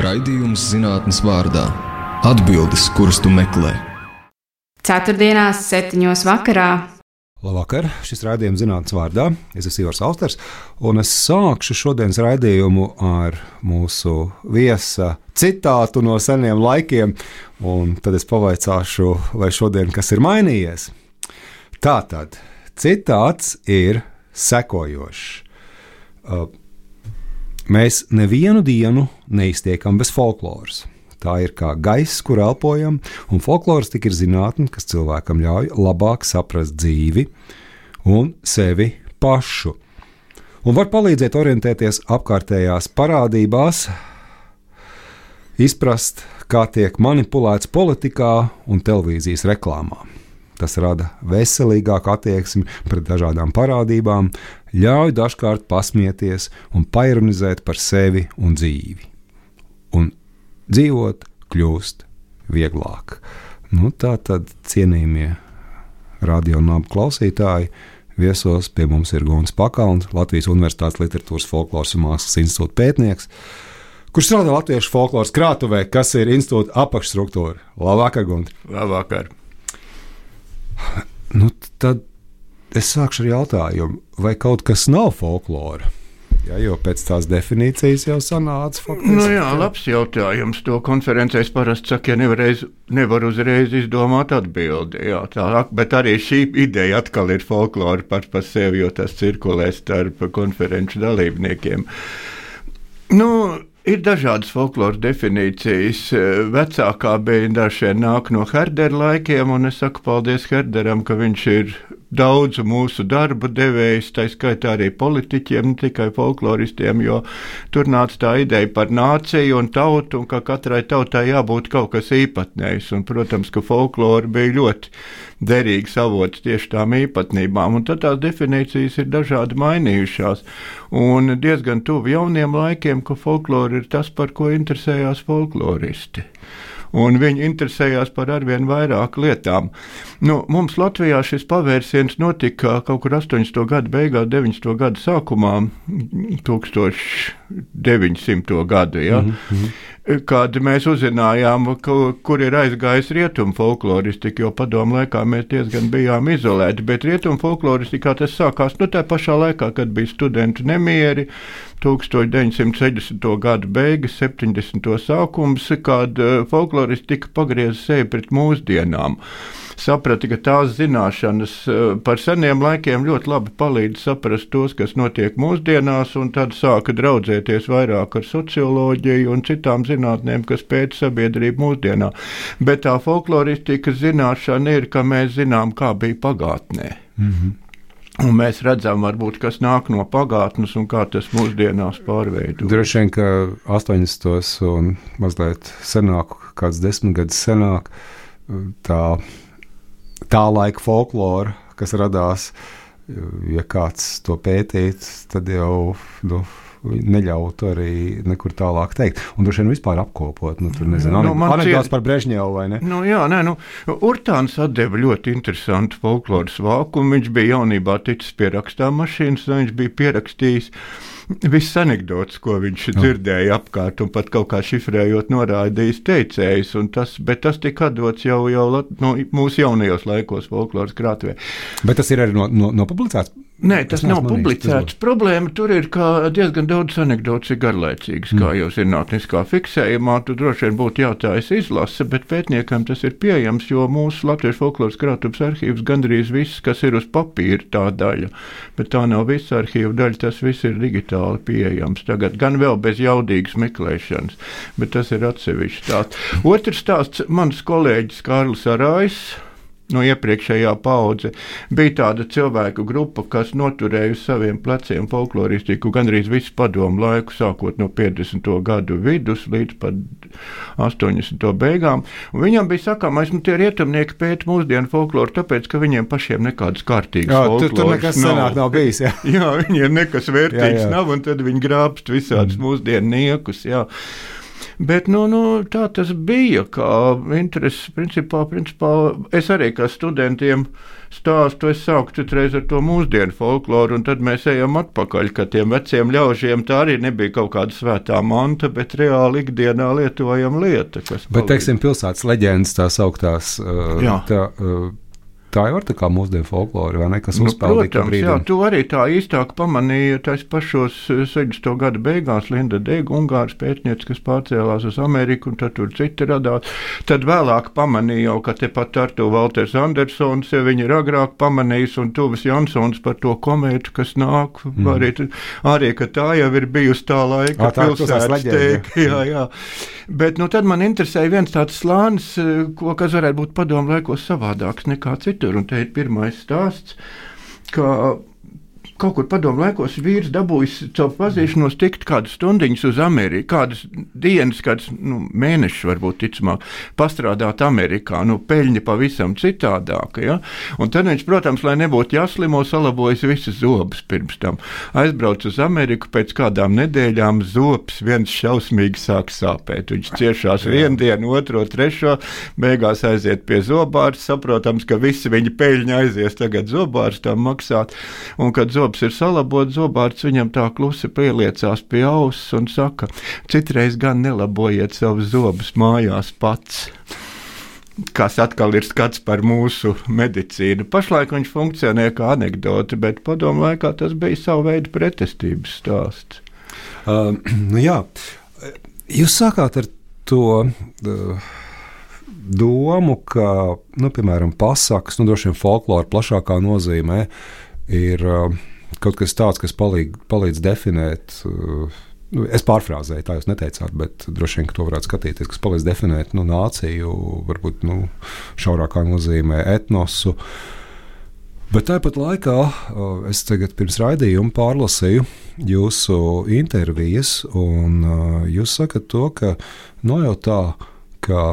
Raidījums zinātnes vārdā. Atbildes, kuras tu meklē. Ceturtdienās 7:00 vakarā. Labvakar, šis raidījums zinātnes vārdā. Es esmu Ivars Austers, un es sākšu šodienas raidījumu ar mūsu viesa citātu no seniem laikiem, un tad es pavaicāšu, vai šodien kas ir mainījies. Tātad, citāts ir sekojošs. Mēs nevienu dienu neiztiekam bez folkloras. Tā ir kā gaiss, kur elpojam, un folkloristika ir zinātne, kas cilvēkam ļauj labāk saprast dzīvi un sevi pašu. Un var palīdzēt orientēties apkārtējās parādībās, izprast, kā tiek manipulēts politikā un televīzijas reklāmā. Tas rada veselīgāku attieksmi pret dažādām parādībām, ļauj dažkārt pasmieties un paironizēt par sevi un dzīvi. Un dzīvot kļūst vieglāk. Tā tad, cienījamie radio un abu klausītāji, viesos pie mums ir Gunts Pakalns, Latvijas Universitātes Literatūras folkloras un mākslas institūta pētnieks, kurš strādā Latviešu folkloras krātuvē, kas ir institūta apakšstruktūra. Labvakar, Gunti! Labvakar! Tad es sākšu ar jautājumu, vai kaut kas nav folklora? Jā, jo pēc tās definīcijas jau sanāca faktiski. Jā, labs jautājums. To konferencēs parasti saka, ja nevar uzreiz izdomāt atbildi. Jā, tā, bet arī šī ideja atkal ir folklora par sevi, jo tas cirkulē starp konferenču dalībniekiem. Ir dažādas folkloras definīcijas. Vecākā bija dažiem nāk no Herdera laikiem, un es saku paldies Herderam, ka viņš ir daudzu mūsu darbu devējs, tā skaitā arī politiķiem, ne tikai folkloristiem, jo tur nāca tā ideja par nāciju un tautu, un ka katrai tautai jābūt kaut kas īpatnējs. Un, protams, ka folklora bija ļoti derīgs avots tieši tām īpatnībām, un tad tās definīcijas ir dažādi mainījušās. Un diezgan tuvu jauniem laikiem, ka folklora ir tas, par ko interesējās folkloristi. Un viņi interesējās par arvien vairāk lietām. Mums Latvijā šis pavērsiens notika kaut kur 80. gadu beigās, 90. gadu sākumā, 1900. gadu, ja? Kad mēs uzzinājām, kur ir aizgājis rietumu folkloristika, jo padomu laikā mēs diezgan bijām izolēti, bet rietumu folkloristikā tas sākās tā pašā laikā, kad bija studentu nemieri, 1960. gadu beigas, 70. sākums, kad folkloristika pagrieza sevi pret mūsdienām. Saprata, ka tās zināšanas par seniem laikiem ļoti labi palīdz saprast tos, kas notiek mūsdienās, un tad sāka draudzēties vairāk ar socioloģiju un citām zinātnēm, kas pēta sabiedrību mūsdienā. Bet tā folkloristikas zināšana ir, ka mēs zinām, kā bija pagātnē. Un mēs redzam, varbūt, kas nāk no pagātnes un kā tas mūsdienās pārveido. Droši vien, ka 80. un mazliet senāk, kāds 10 gadus senāk, tā laika folklora, kas radās, ja kāds to pētīt, tad jau neļautu arī nekur tālāk teikt. Un droši vien vispār apkopot. Tur nezinu, anekdots par Brežņevu, vai ne? Urtāns atdeva ļoti interesantu folkloras vākumu. Viņš bija jaunībā ticis pie rakstāmašīnas, un viņš bija pierakstījis visas anekdotas, ko viņš dzirdēja apkārt, un pat kaut kā šifrējot norādījis teicējs, bet tas tika atdots jau mūsu jaunajos laikos folkloras krātuvē. Bet tas ir arī nopublicēts? Nē, tas nav publicēts. Problēma tur ir, ka diezgan daudz anekdotas ir garlaicīgas, kā jau zinātniskā fiksējumā. Tu droši vien būtu jātājas izlase, bet pētniekam tas ir pieejams, jo mūsu Latviešu folkloras krātuves arhīvs gandrīz viss, kas ir uz papīra, tā daļa. Bet tā nav visa arhīva daļa, tas viss ir digitāli pieejams. Tagad gan vēl bez jaudīgas meklēšanas, bet tas ir atsevišķi stāsts. Otrs stāsts, mans kolēģis Kārlis Arājs, no iepriekšējā paudze, bija tāda cilvēku grupa, kas noturēja uz saviem pleciem folkloristiku gandrīz visu padomu laiku, sākot no 50. gadu vidus līdz pat 80. beigām. Un viņam bija sakāmais, tie rietumnieki pēta mūsdienu folkloru, tāpēc, ka viņiem pašiem nekādas kārtīgas folkloras tur nekas senāk nav bijis, jā. Jā, viņiem nekas vērtīgs nav, un tad viņi grābst visādus mūsdienu niekus, jā. Bet tā tas bija, kā interesi principā es arī kā studentiem stāstu, es sāku citreiz ar to mūsdienu folkloru, un tad mēs ejam atpakaļ, ka tiem veciem ļaužiem tā arī nebija kaut kāda svētā manta, bet reāli ikdienā lietojama lieta. Bet, teiksim, pilsētas leģendas tās augtās, tā jau ir tā kā mūsdienu folklori, vai ne, kas uzpeldīja to brīdim? Jā, tu arī tā īstāk pamanīja tais pašos 70. gada beigās Linda Dega, Ungāras pētniece, kas pārcēlās uz Ameriku, un tad tur citi radās. Tad vēlāk pamanīja jau, ka tepat ar to Valters Andersons, ja viņi ir agrāk pamanījis, un Tuvis Jansons par to komētu, kas nāk, arī, ka tā jau ir bijusi tā laika pilsētas tēka. Jā. Bet tad man interesēja viens tāds slānis, kas varētu būt padomu laikos savādāks nekā citur. Un te ir pirmais stāsts, ka kaut kur padomu laikos vīrs dabūjis caur pazīšanos tikt kādas stundiņas uz Ameriku, kādas dienas, kādas mēnešus varbūt ticamāk, pastrādāt Amerikā, peļņa pavisam citādāka, ja? Un tad viņš, protams, lai nebūtu jāslimo, salabojas visas zobus pirms tam. Aizbrauc uz Ameriku, pēc kādām nedēļām zobs viens šausmīgi sāk sāpēt. Viņš ciešās vienu dienu, otro, trešo, beigās aiziet pie zobārs, saprotams, ka visi viņa peļņa aizies tagad zobārstam maksāt, un kad zobs ir salabots, zobārts viņam tā klusi pieliecās pie auss un saka, citreiz gan nelabojiet savus zobus mājās pats. Kas atkal ir skats par mūsu medicīnu. Pašlaik viņš funkcionē kā anekdote, bet padomu laikā tas bija savu veidu pretestības stāsts. Jā, jūs sākāt ar to domu, ka, piemēram, pasakas, droši vien folklora plašākā nozīmē ir kaut kas tāds, kas palīdz definēt, es pārfrāzēju, tā jūs neteicāt, bet droši vien, ka to varētu skatīties, kas palīdz definēt nāciju, varbūt šaurākā nozīmē etnosu. Bet tāpat laikā es tagad pirms raidījuma pārlasīju jūsu intervijas, un jūs sakat to, ka jau tā, ka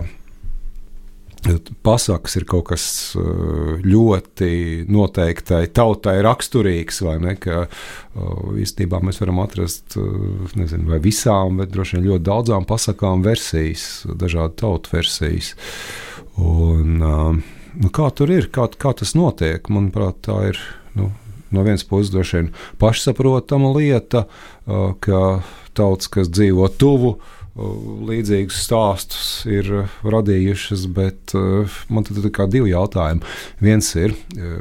pasakas ir kaut kas ļoti noteiktai tautai raksturīgs, vai ne, ka īstenībā mēs varam atrast, nezinu, vai visām, bet droši vien ļoti daudzām pasakām versijas, dažādu tautu versijas. Un kā tur ir, kā tas notiek? Manuprāt, tā ir, no vienas puses droši vien pašsaprotama lieta, ka tautas, kas dzīvo tuvu, līdzīgus stāstus ir radījušas, bet man tad ir kā divi jautājumi. Viens ir,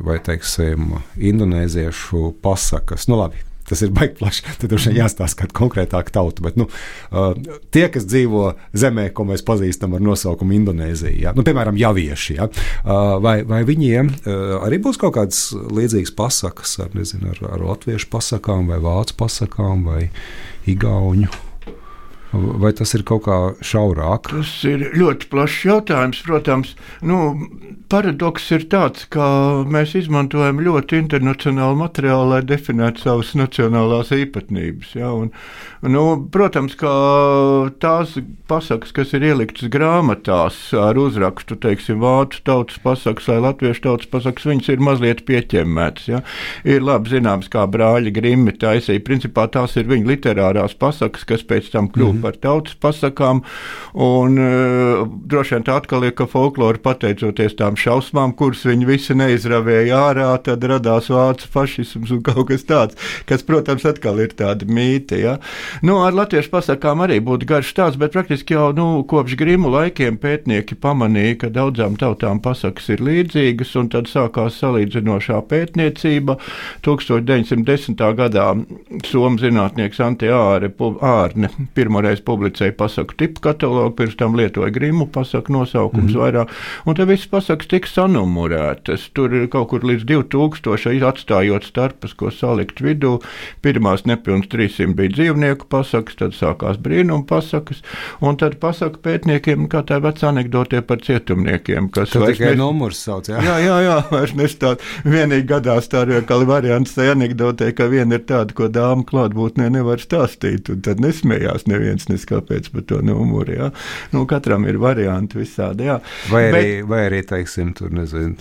vai, teiksim, indonēziešu pasakas, labi, tas ir baigi plaši, tad droši vien jāstāsta kāda konkrētāka tauta, bet tie, kas dzīvo zemē, ko mēs pazīstam ar nosaukumu Indonēzija, piemēram, javieši, vai viņiem arī būs kaut kādas līdzīgas pasakas ar latviešu pasakām, vai vācu pasakām, vai igauņu? Vai tas ir kaut kā šaurāk? Tas ir ļoti plašs jautājums, protams. Paradoks ir tāds, ka mēs izmantojam ļoti internacionālu materiālu, lai definētu savas nacionālās īpatnības. Ja? Protams, ka tās pasakas, kas ir ieliktas grāmatās ar uzrakstu, teiksim, vācu tautas pasakas vai latviešu tautas pasakas, viņas ir mazliet pieķemmētas. Ja? Ir labi zināms, kā brāļi Grimmi taisīja. Principā tās ir viņa literārās pasakas, kas pēc tam kļūst par tautas pasakām, un droši vien tā atkal ir, ka folklori pateicoties tām šausmām, kuras viņi visi neizravēja ārā, tad radās vācu fašisms un kaut kas tāds, kas, protams, atkal ir tāda mīte, ja. Ar latviešu pasakām arī būtu garš stāsts, bet praktiski jau, kopš Grimu laikiem pētnieki pamanīja, ka daudzām tautām pasakas ir līdzīgas, un tad sākās salīdzinošā pētniecība. 1910. gadā somu zinātnieks Ante Ārne pirmoreiz publicēja pasaku tipu katalogu, pirms tam lietoja Grimu pasaku nosaukums vairāk, un te visas pasakas tika sanumurētas. Tur ir kaut kur līdz 2000, atstājot starpas, ko salikt vidū. Pirmās nepilns 300 bija dzīvnieku pasakas, tad sākās brīnuma pasakas, un tad pasaku pētniekiem, kā tā vecā anekdotē par cietumniekiem, kas tad tikai numurs sauc, jā? Jā, vairs nestāst. Vienīgi gadās tā kā variants tai anekdotē, ka viena ir tāda, ko dāma klātbūtnē nevar stāstīt, un tad nesmējās neviens nezinu, kāpēc par to numuru, jā. Nu, katram ir varianti visādi, jā. Vai arī, teiksim, tur, nezinu,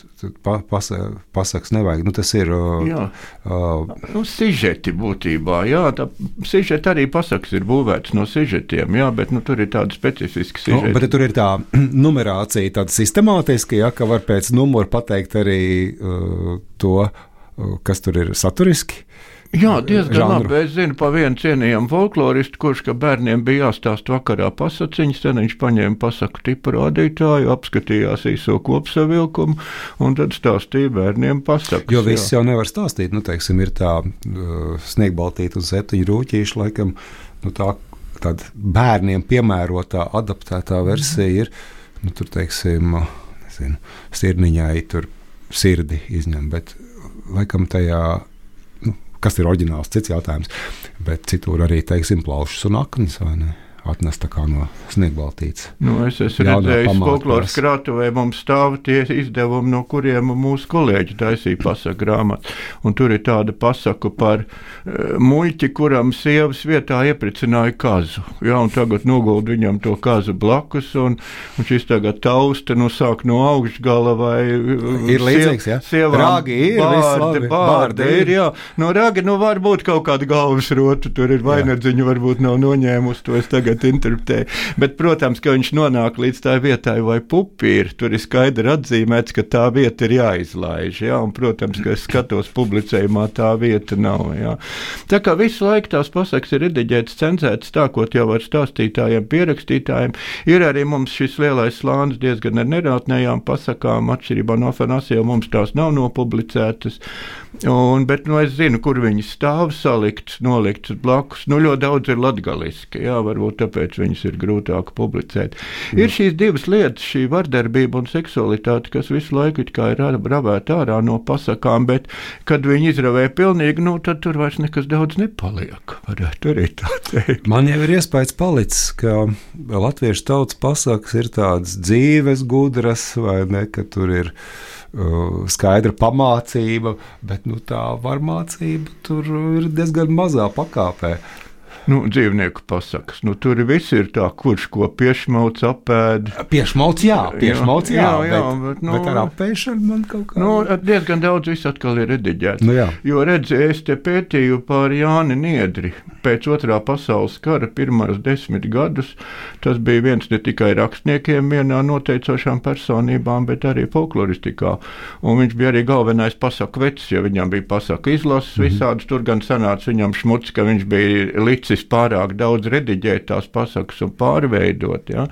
pasaks nevajag, nu, tas ir... Nu, sižeti būtībā, jā, tā sižeti arī pasaks ir būvēts no sižetiem, jā, bet, nu, tur ir tāda specifiska sižeti. Bet tur ir tā numerācija tāda sistemātiska, jā, ka var pēc numura pateikt arī to, kas tur ir saturiski. Jā, diezgan labi. Es zinu pa vienu cienījamu folkloristu, kurš, ka bērniem bija jāstāst vakarā pasaciņas, tad viņš paņēma pasaku tipu rādītāju, apskatījās īso kopsavilkumu un tad stāstīja bērniem pasakas. Jo viss jau nevar stāstīt, nu, teiksim, ir tā sniegbaltīta un 7 rūķīši, laikam, nu, tāda bērniem piemērotā, adaptētā versija ir, nu, tur, teiksim, nezinu, sirniņai tur sirdi izņem, bet laikam tajā, kas ir oriģināls, cits jautājums, bet citur arī, teiksim, plaušas un aknas, vai ne? Atnest tā kā no sniegbaltītes. Nu, es esmu redzējis folkloras krātuvē, mums stāv tie izdevumi, no kuriem mūsu kolēģi taisīja pasaku grāmatu. Un tur ir tāda pasaku par muļķi, kuram sievas vietā iepricināja kazu. Jā, un tagad noguld viņam to kazu blakus, un šis tagad tausta, nu, sāk no augšgala vai... Ir līdzīgs, jā? Rāgi ir, bārdi ir, jā. No rāgi, nu, var būt kaut kāda galvas rota, tur ir vainadziņa, varbūt nav noņēmus, to es tagad interpretēju. Bet, protams, ka viņš nonāk līdz tā vietai vai pupīri, tur ir skaidri atzīmēts, ka tā vieta ir jāizlaiž, jā, un, protams, ka es skatos publicējumā, tā vieta nav, jā. Tā kā visu laiku tās pasakas ir rediģētas, cenzētas, stākot jau ar stāstītājiem, pierakstītājiem, ir arī mums šis lielais slānis diezgan ar nerātnējām pasakām, atšķirībā no Afanasija, mums tās nav nopublicētas, bet, nu, es zinu, kur viņi stāv salikts, nolikts blakus, nu, ļoti daudz ir latgaliski, jā, varbūt tāpēc viņas ir grūtāk publicēt. Ir šīs divas lietas, šī vardarbība un seksualitāte, kas visu laiku it kā ir ravēta ārā no pasakām, bet, kad viņi izravē pilnīgi, nu, tad tur vairs nekas daudz nepaliek, varētu arī tā teikt. Man jau ir iespējas palicis, ka latviešu tautas pasakas ir tādas dzīves, gudras, vai ne, ka tur ir skaidra pamācība, bet, nu, tā varmācība tur ir diezgan mazā pakāpē. Nu, dzīvnieku pasakas. Nu, tur viss ir tā, kurš ko piešmauc, apēd. Piešmauc, jā, bet nu, ar apēšanu man kaut kā... Nu, diezgan daudz viss atkal ir rediģēts. Nu, jā. Jo, redzi, es te pētīju par Jāni Niedri. Pēc 2. pasaules kara pirmās 10 gadus tas bija viens ne tikai rakstniekiem vienā noteicošām personībām, bet arī folkloristikā. Un viņš bija arī galvenais pasaku vecis, jo viņam bija pasaku izlases visādas. Tur gan sanāca viņam šmuts, ka viņš bija licis pārāk daudz rediģēt tās pasakas un pārveidot, ja?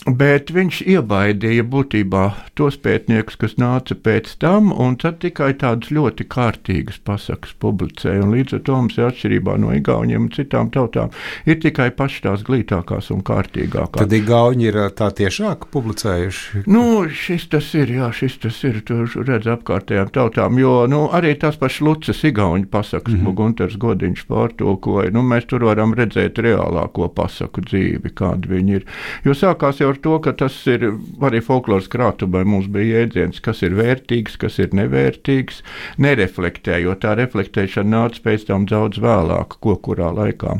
Bet viņš iebaidīja būtībā tos pētniekus, kas nāca pēc tam, un tad tikai tādas ļoti kārtīgas pasakas publicēja, un līdz ar to mums ir atšķirībā no igauņiem un citām tautām, ir tikai paši tās glītākās un kārtīgākās. Tad igauņi ir tā tiešāk publicējuši? Nu, šis tas ir, tur redz apkārtējām tautām, jo, nu, arī tās pašas Lucas igauņu pasakas, ko Gunters Godiņš pārtulkoja, nu, mēs tur varam redzēt reālāko pasaku dzīvi, kāda viņi ir, jo sākās jau ar to, ka tas ir arī folkloras krātuvē mums bija jēdziens, kas ir vērtīgs, kas ir nevērtīgs, nereflektējot. Tā reflektēšana nāca pēc tam daudz vēlāk, kurā laikā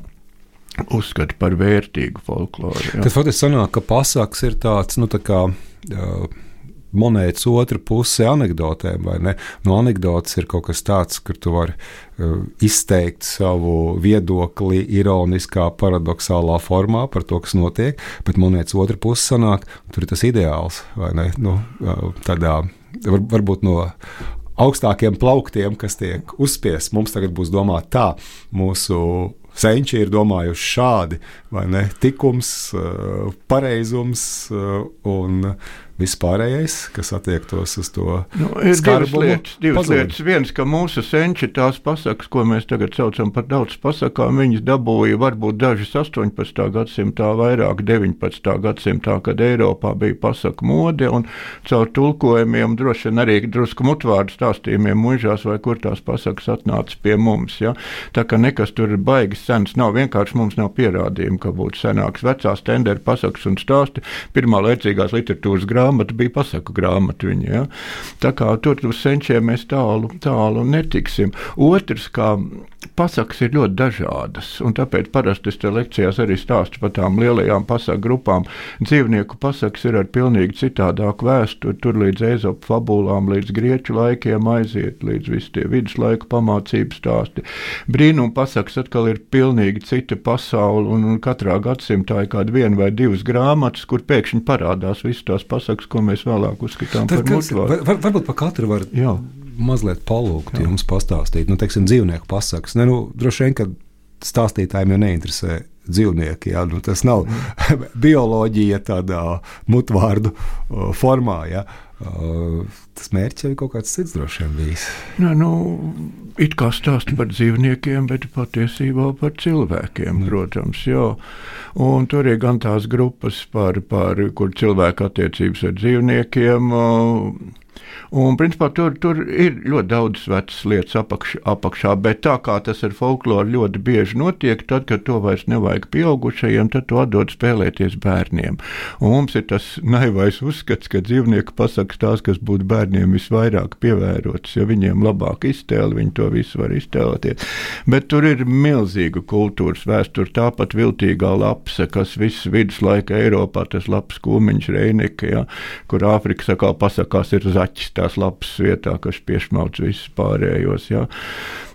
uzskata par vērtīgu folkloru. Jā. Tad faktiski sanāk, ka pasaks ir tāds, nu, tā kā monētas otra puse anekdotēm, vai ne? No anekdotes ir kaut kas tāds, kur tu vari izteikt savu viedokli ironiskā, paradoxālā formā par to, kas notiek, bet monētas otra puse sanāk, tur ir tas ideāls, vai ne? Nu, tādā, varbūt no augstākiem plauktiem, kas tiek uzspiests, mums tagad būs domāt tā, mūsu senči ir domājuši šādi, vai ne? Tikums, pareizums un vispārējais, kas attiektos uz to skarbumu. Divas lietas. Viens, ka mūsu senči tās pasakas, ko mēs tagad saucam par daudz pasakām, viņas dabūja varbūt dažas 18. gadsimtā, vairāk 19. gadsimtā, kad Eiropā bija pasaku mode, un caur tulkojumiem, droši vien arī drusku mutvārdu stāstījumiem muižās, vai kur tās pasakas atnāca pie mums. Ja? Tā kā nekas tur ir baigi sens nav, vienkārši mums nav pierādījumi, ka būtu senāks. Vecās tenderu pasakas un stāsti, pirmā laicīgās literatūras grāmatas, grāmata bija pasaku grāmata viņa, ja? Tā kā tur uz senčiem mēs tālu netiksim. Otrs, kā pasakas ir ļoti dažādas, un tāpēc parasti es te lekcijās arī stāstu par tām lielajām pasaku grupām. Dzīvnieku pasakas ir ar pilnīgi citādāku vēsturi, tur līdz Ēzopa fabulām, līdz grieķu laikiem aiziet, līdz visi tie viduslaiku pamācību stāsti. Brīnum pasakas atkal ir pilnīgi cita pasaule, un katrā gadsimtā ir kāda 1 vai 2 grāmatas, kur pēkšņi parādās visas tās pasakas, ko mēs vēlāk uzskatām par mutvārdu. Varbūt par katru var mazliet palūgt jums pastāstīt, teiksim, dzīvnieku pasakas. Droši vien, ka stāstītājiem jau neinteresē dzīvnieki, tas nav bioloģija tādā mutvārdu formā, tas mērķis jau ir kaut kāds cits droši vien bijis. It kā stāsta par dzīvniekiem, bet patiesībā par cilvēkiem, protams, Un tur ir gan tās grupas par kur cilvēku attiecības ar dzīvniekiem, un principā tur ir ļoti daudz vecas lietas apakšā, bet tā kā tas ar folkloru ļoti bieži notiek, tad, kad to vairs nevajag pieaugušajiem, tad to atdod spēlēties bērniem. Un mums ir tas naivais uzskats, ka dzīvnieku pasakas tās, kas būtu bērniem visvairāk pievērotas, jo viņiem labāk iztēli, viņi to visu var iztēloties. Bet tur ir milzīga kultūras vēsture, tāpat viltīgā lapse, kas viss viduslaika Eiropā, tas lapas kūmiņš Reineke, kur Āfrikas atkal pasakās ir zaķis tās lapas vietā, kas piešmauc visus pārējos.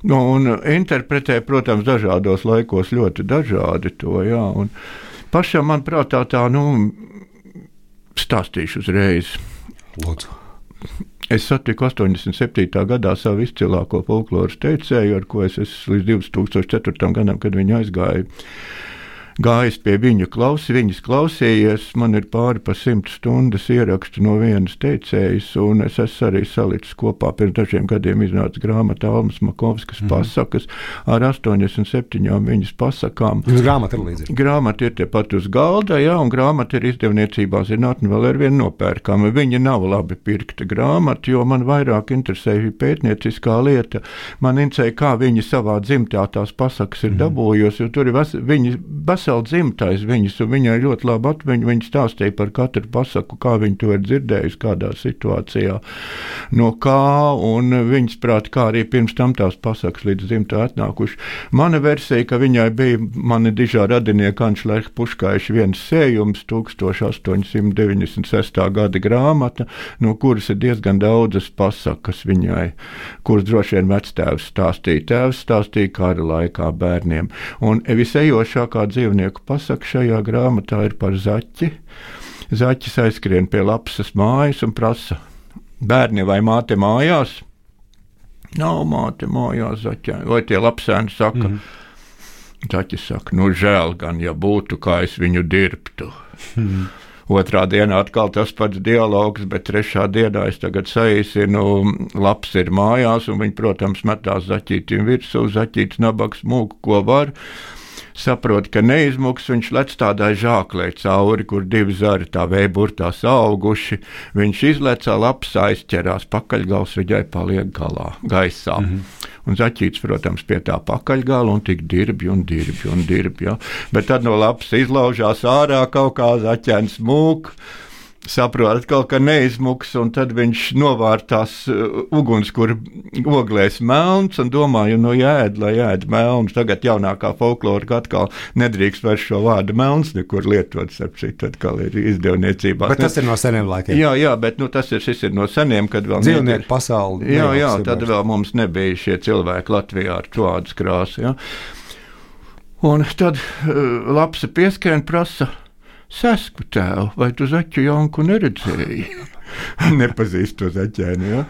Un interpretē, protams, dažādos laikos ļoti dažādi to, un pašam, manuprāt, tā stāstīšu uzreiz. Lūdzu. Es satiku 87. gadā savu izcilāko folkloras teicēju, ar ko es līdz 2004. gadam, kad viņi aizgāja, gājis pie viņas klausījies, man ir pāri pa 100 stundas ierakstu no vienas teicējas, un es esmu arī salicis kopā, pirms dažiem gadiem iznāca grāmata Almas Makovskas pasakas ar 87 viņas pasakām. Grāmata ir līdzi. Grāmata ir tepat uz galda, un grāmata ir izdevniecībā zinātne vēl ar vienu nopērkama. Viņa nav labi pirkta grāmata, jo man vairāk interesēja pētnieciskā lieta. Man interesēja, kā viņa savā dzimtā tās pasakas ir dabūjusi, jo tur ir viņa vesela dzimtais viņas, un viņai ļoti labi atmiņa, viņa stāstīja par katru pasaku, kā viņa to ir dzirdējusi, kādā situācijā, no kā, un viņas prāt, kā arī pirms tam tās pasakas līdz dzimtā atnākuši. Mana versija, ka viņai bija mani dižā radinieka Anšlerka Puškaiša viens sējums, 1896. gada grāmata, no kuras ir diezgan daudzas pasakas viņai, kuras droši vien vectēvs stāstīja. Tēvs stāstīja kara laikā bērniem. Un visejošākā dzīvnieku pasaka šajā grāmatā ir par zaķi. Zaķis aizskrien pie lapsas mājas un prasa: bērni, vai māte mājās? Nav māte mājās, zaķē. Vai tie lapsēni saka? Zaķis saka: žēl gan, ja būtu, kā es viņu dirbtu. Otrā dienā atkal tas pats dialogs, bet trešā dienā es tagad saīsinu, laps ir mājās, un viņi, protams, metās zaķītim virsū, zaķīts nabags mūku, ko var. Saprot, ka neizmuks, viņš lec tādai žāklē cauri, kur 2 zari tā vējburtā auguši. Viņš izlecā, laps aizķerās, pakaļgals viņai paliek gaisā. Un zaķīts, protams, pie tā pakaļgala un tik dirbj. Bet tad no lapas izlaužās ārā kaut kā zaķēns mūk. Saprot atkal, ka neizmuks, un tad viņš novārtās uguns, kur oglēs melns, un domāju, jāēd, lai ēd melns. Tagad jaunākā folklora atkal nedrīkst vairs šo vārdu melns nekur lietot, sapcīt, atkal ir izdevniecībā. Bet tas ir no seniem laikiem. Jā, bet šis ir no seniem, kad vēl dzīvnieku pasauli. Jā, tad vēl mums nebija šie cilvēki Latvijā ar tādas krāsu, Un tad lapsa pieskrien prasa: Sesku tēvu, vai tu zaķu Janku neredzēji? Nepazīst to zaķēni,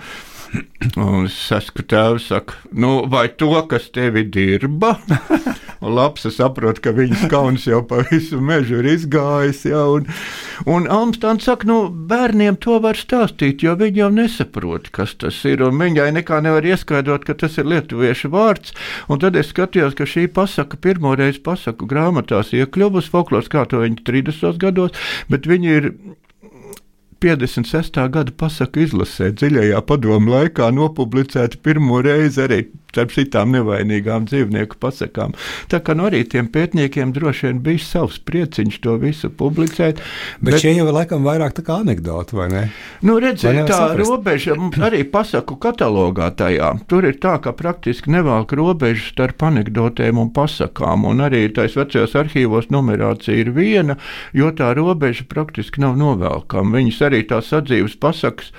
Un sesku tēvs saka: vai to, kas tevi dirba? Un lapsa saprot, ka viņas kauns jau pa visu mežu ir izgājis, un Almstāns saka, bērniem to var stāstīt, jo viņi jau nesaprot, kas tas ir, un viņai nekā nevar ieskaidrot, ka tas ir lietuviešu vārds, un tad es skatījos, ka šī pasaka pirmoreiz pasaku grāmatās iekļuvusi folkloras, kā to viņi 30. gados, bet viņi ir 56. gada pasaku izlasē dziļajā padomu laikā nopublicēta pirmo reizi arī starp citām nevainīgām dzīvnieku pasakām. Tā kā arī tiem pētniekiem droši vien bija savs prieciņš to visu publicēt. Bet šie jau ir laikam vairāk tā kā anekdoti, vai ne? Nu, redziet, tā robeža arī pasaku katalogā tajā. Tur ir tā, ka praktiski nevelk robežu starp anekdotēm un pasakām, un arī tais vecajos arhīvos numerācija ir viena, jo tā robeža praktiski nav novelkama. Viņas arī tās sadzīves pasakas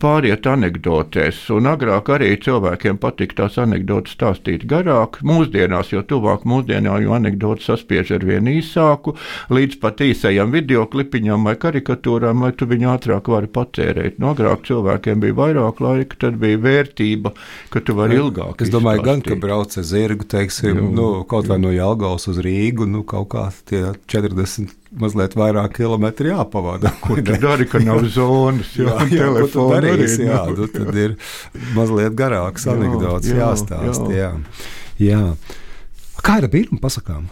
pāriet anekdotēs, un agrāk arī cilvēkiem patīk tās anekdotas stāstīt garāk, mūsdienās, jo tuvāk mūsdienā, jo anekdotas saspiež ar vien īsāku, līdz pat īsajam videoklipiņam vai karikatūrām, lai tu viņu ātrāk vari patērēt. No agrāk cilvēkiem bija vairāk laika, tad bija vērtība, ka tu vari ilgāk izstāstīt. Es domāju, gan, ka brauc ar zirgu, teiksim, kaut vai no Jelgavas uz Rīgu, kaut kā tie 40 mazliet vairāk kilometri jāpavada. Ko tu dari, ka nav zonas, telefona arī. Tad ir mazliet garāks anekdots jāstāst. Jā. Kā ir ar brīnumu pasakām?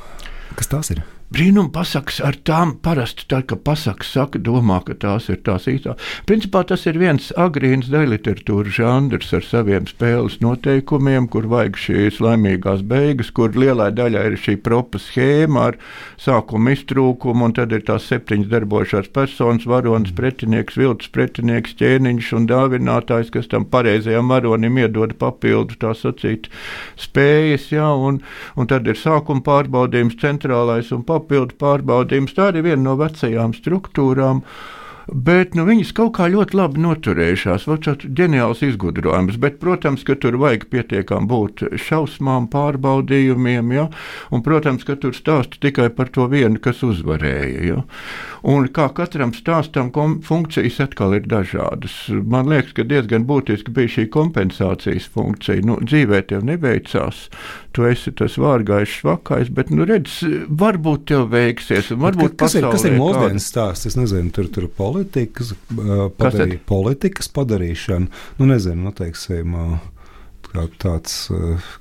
Kas tās ir? Brīnuma pasakas ar tām parasti tā, ka pasakas saka, domā, ka tās ir tās īstās. Principā tas ir viens agrīns dejliteratūras žanrs ar saviem spēles noteikumiem, kur vajag šīs laimīgās beigas, kur lielai daļai ir šī propa schēma ar sākumu iztrūkumu, un tad ir tās 7 darbojušās personas, varonis, pretinieks, viltus pretinieks, ķēniņš un dāvinātājs, kas tam pareizajam varonim iedod papildu, tā sacīt, spējas, un tad ir sākuma pārbaudījums, centrālais un papildu pārbaudījums. Tā ir viena no vecajām struktūrām, bet viņas kaut kā ļoti labi noturējušās. Tāds ģeniāls izgudrojums, bet, protams, ka tur vajag pietiekam būt šausmām, pārbaudījumiem, un, protams, ka tur stāsta tikai par to vienu, kas uzvarēja. Un kā katram stāstam funkcijas atkal ir dažādas. Man liekas, ka diezgan būtiski bija šī kompensācijas funkcija. Dzīvē tev neveicās, tu esi tas vārgājs švakais, bet, redz, varbūt tev veiksies, un varbūt kas ir mūsdienas stāsts? Es nezinu, tur politikas padarīšana, teiksim, tāds,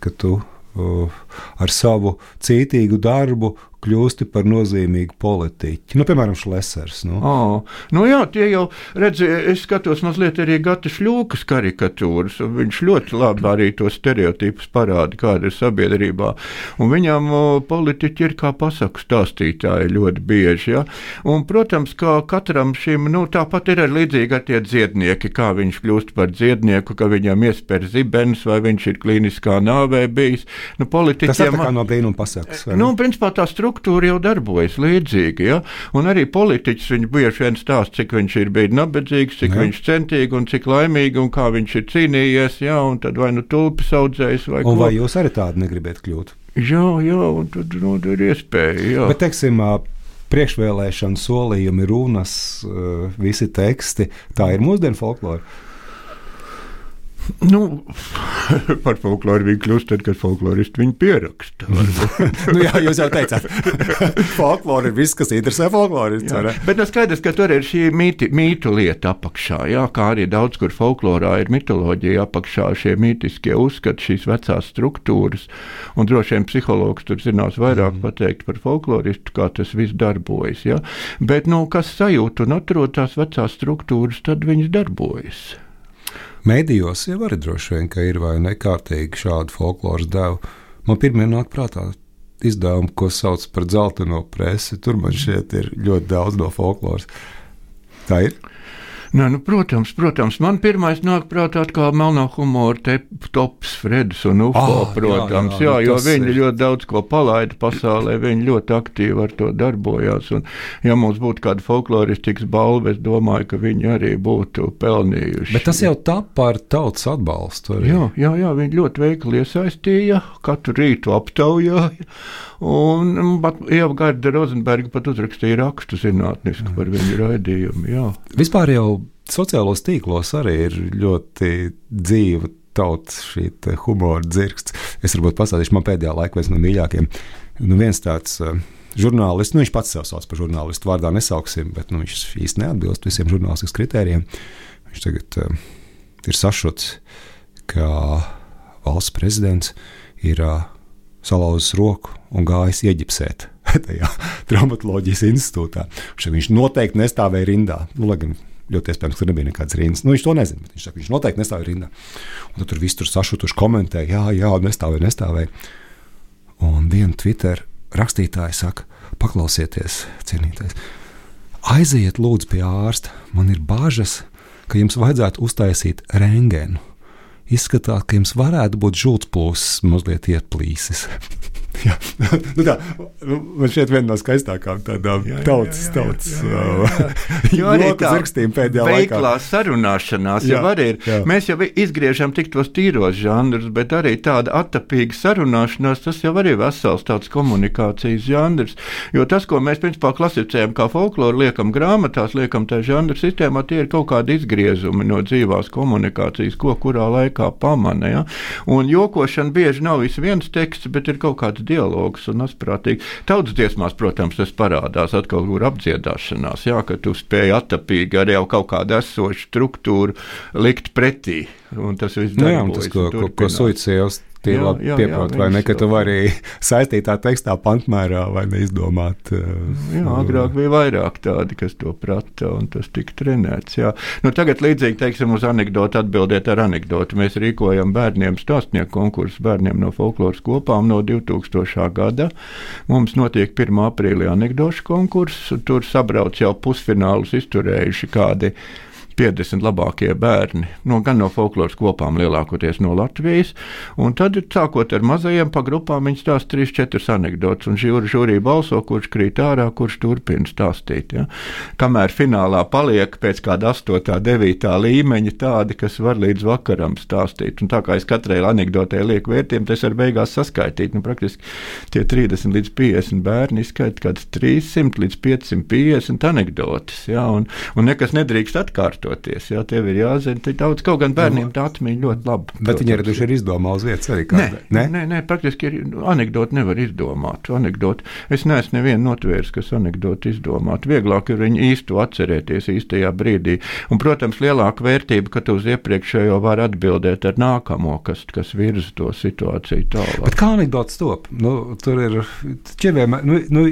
ka tu ar savu cītīgu darbu kļūsti par nozīmīgu politiķi. Piemēram, Šlesers. Jā, tie jau, redzi, es skatos mazliet arī Gata Šļūkas karikatūras, un viņš ļoti labi arī tos stereotipus parāda, kāda ir sabiedrībā. Un viņam politiķi ir kā pasaku stāstītāji ļoti bieži, Un, protams, kā katram šim, tāpat ir līdzīgi ar tie dziednieki, kā viņš kļūst par dziednieku, ka viņam iesper zibens, vai viņš ir klīniskā nāvē bijis. Tas ir tā kā no brīnuma pasakas. Principā tā struktūra jau darbojas līdzīgi, un arī politiķis viņš bieži vien stāsta, cik viņš ir bijis nabadzīgs, cik viņš centīgi un cik laimīgi, un kā viņš ir cīnījies, un tad vai tulpes audzējis, vai ko. Un vai jūs arī tādi negribat kļūt? Jā, un tad ir iespēja, Bet, teiksim, priekšvēlēšana solījumi, runas, visi teksti, tā ir mūsdienu folklora? Par folkloru viņi kļūst tad, kad folkloristi viņu pieraksta. Jā, jūs jau teicāt. Folklora ir viss, kas interesē folklorists. Bet skaidrs, ka tur ir šī mītu lieta apakšā, kā arī daudz, kur folklorā ir mitoloģija apakšā, šie mītiskie uzskati, šīs vecās struktūras, un droši vien psihologs tur zinās vairāk pateikt par folkloristu, kā tas viss darbojas. Bet, kas sajūt un atrod tās vecās struktūras, tad viņas darbojas. Mēdījos jau arī droši vien, ka ir vai nekārtīgi šādi folkloras devu. Man pirmie nāk prātā izdevumi, ko sauc par dzelteno presi. Tur man šķiet ir ļoti daudz no folkloras. Tā ir? Protams, man pirmais nāk prātā kā melnā humora tops Fredis un UFO, protams, jo viņi ļoti daudz ko palaida pasaulē, viņi ļoti aktīvi ar to darbojās, un ja mums būtu kāda folkloristikas balva, es domāju, ka viņi arī būtu pelnījuši. Bet tas jau tap par tautas atbalstu arī. Jā, viņi ļoti veikli iesaistīja, katru rītu aptaujāja, un Ieva Garda Rozenberga pat uzrakstīja rakstu zinātnisku par viņu raidījumu, Vispār jau sociālos tīklos arī ir ļoti dzīva tautas šī humora dzirksts. Es varbūt pastāstīšu, man pēdējā laikā viens no mīļākiem. Viens tāds žurnālists, viņš pats sev sauc par žurnālistu, vārdā nesauksim, bet viņš īsti neatbilst visiem žurnālistikas kritērijiem. Viņš tagad ir sašuts, ka valsts prezidents ir salauzis roku un gājis ieģipsēt tajā traumatoloģijas institūtā. Viņš noteikti nestāvēja rindā. Lai gan ļoti iespējams, ka tur nebija nekāds rindas. Viņš to nezina, bet viņš saka, viņš noteikti nestāvēja rindā. Un tad tur viss tur sašutuši komentē, jā, nestāvēja. Un viena Twitter rakstītāja saka, paklausieties, cienītais, aiziet lūdzu pie ārsta, man ir bažas, ka jums vajadzētu uztaisīt rentgenu. Izskatās, ka jums varētu būt žultsplūsis mazliet ieplīsis. Jā, tā, man šķiet viena no skaistākām tādām tautas joku zirgstīm pēdējā laikā. Veiklā sarunāšanās jau arī ir. Jā. Mēs jau izgriežam tik tos tīros žanrus, bet arī tāda attapīga sarunāšanās, tas jau arī vesels tāds komunikācijas žanrs. Jo tas, ko mēs principā klasificējam kā folkloru, liekam grāmatās, liekam tā žanra sistēmā, tie ir kaut kādi izgriezumi no dzīvās komunikācijas, ko kurā laikā pamana. Ja? Un jokošana bieži nav viens teksts, bet ir kaut kāds dialogs un asprātīgi. Tautas dziesmās, protams, tas parādās atkal kur apdziedāšanās, jā, ka tu spēji attapīgi arī jau kaut kādu esošu struktūru likt pretī. Un tas viss darbojas. Ko Suiciejos pieprot, vai ne, ka tu vari saistītā tekstā pantmērā vai neizdomāt. Agrāk bija vairāk tādi, kas to prata, un tas tika trenēts, jā. Nu, tagad līdzīgi, teiksim, uz anekdotu atbildiet ar anekdotu. Mēs rīkojam bērniem stāstnieku konkursu bērniem no folkloras kopām no 2000. gada. Mums notiek 1. aprīlī anekdošu konkurss, tur sabrauc jau pusfinālus izturējuši kādi 50 labākie bērni, gan no folkloras kopām lielākoties no Latvijas, un tad, sākot ar mazajiem pa grupām, viņi stāsta 3-4 anekdotus, un žūrī balso, kurš krīt ārā, kurš turpina stāstīt. Ja? Kamēr finālā paliek pēc kāda 8., 9. līmeņa tādi, kas var līdz vakaram stāstīt, un tā kā es katrai anekdotē lieku vērtiem, tas var beigās saskaitīt, praktiski tie 30 līdz 50 bērni izskaita kāds 300 līdz 550 anekdotas, ja? Un nekas nedrīkst atkārtot. Jā, tev ir jāzina, tā daudz, kaut gan bērniem tā atmiņa ļoti laba. Bet viņi arī ir izdomā uz vietas arī kādā? Nē, praktiski anekdoti nevar izdomāt. Es neesmu nevienu notvērs, kas anekdoti izdomāt. Vieglāk ir viņu īstu atcerēties īstajā brīdī. Un, protams, lielāka vērtība, ka tu uz iepriekšējo var atbildēt ar nākamo, kas virza to situāciju tālāk. Bet kā anekdotas top? Tur ir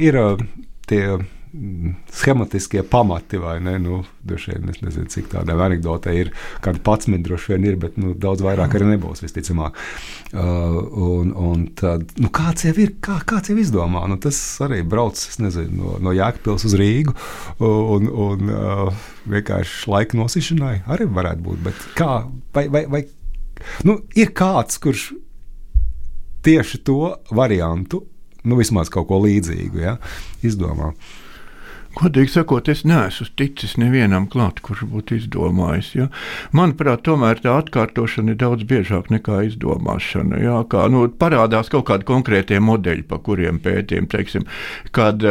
ir tie schematiskie pamati, vai ne? Droši vien, es nezinu, cik tādām anekdotē ir, kādi 11 droši vien ir, bet daudz vairāk arī nebūs, visticamāk. Un tad, kāds jau ir, kāds jau izdomā? Tas arī brauc, es nezinu, no Jēkabpils uz Rīgu un vienkārši laika nosišanai arī varētu būt, bet kā, vai ir kāds, kurš tieši to variantu, vismaz kaut ko līdzīgu, ja, izdomā? Godīgi sakot, es neesmu ticis nevienam klāt, kurš būtu izdomājis. Ja? Manuprāt, tomēr tā atkārtošana ir daudz biežāk nekā izdomāšana. Ja? Parādās kaut kādi konkrētie modeļi, pa kuriem pētiem, teiksim, kad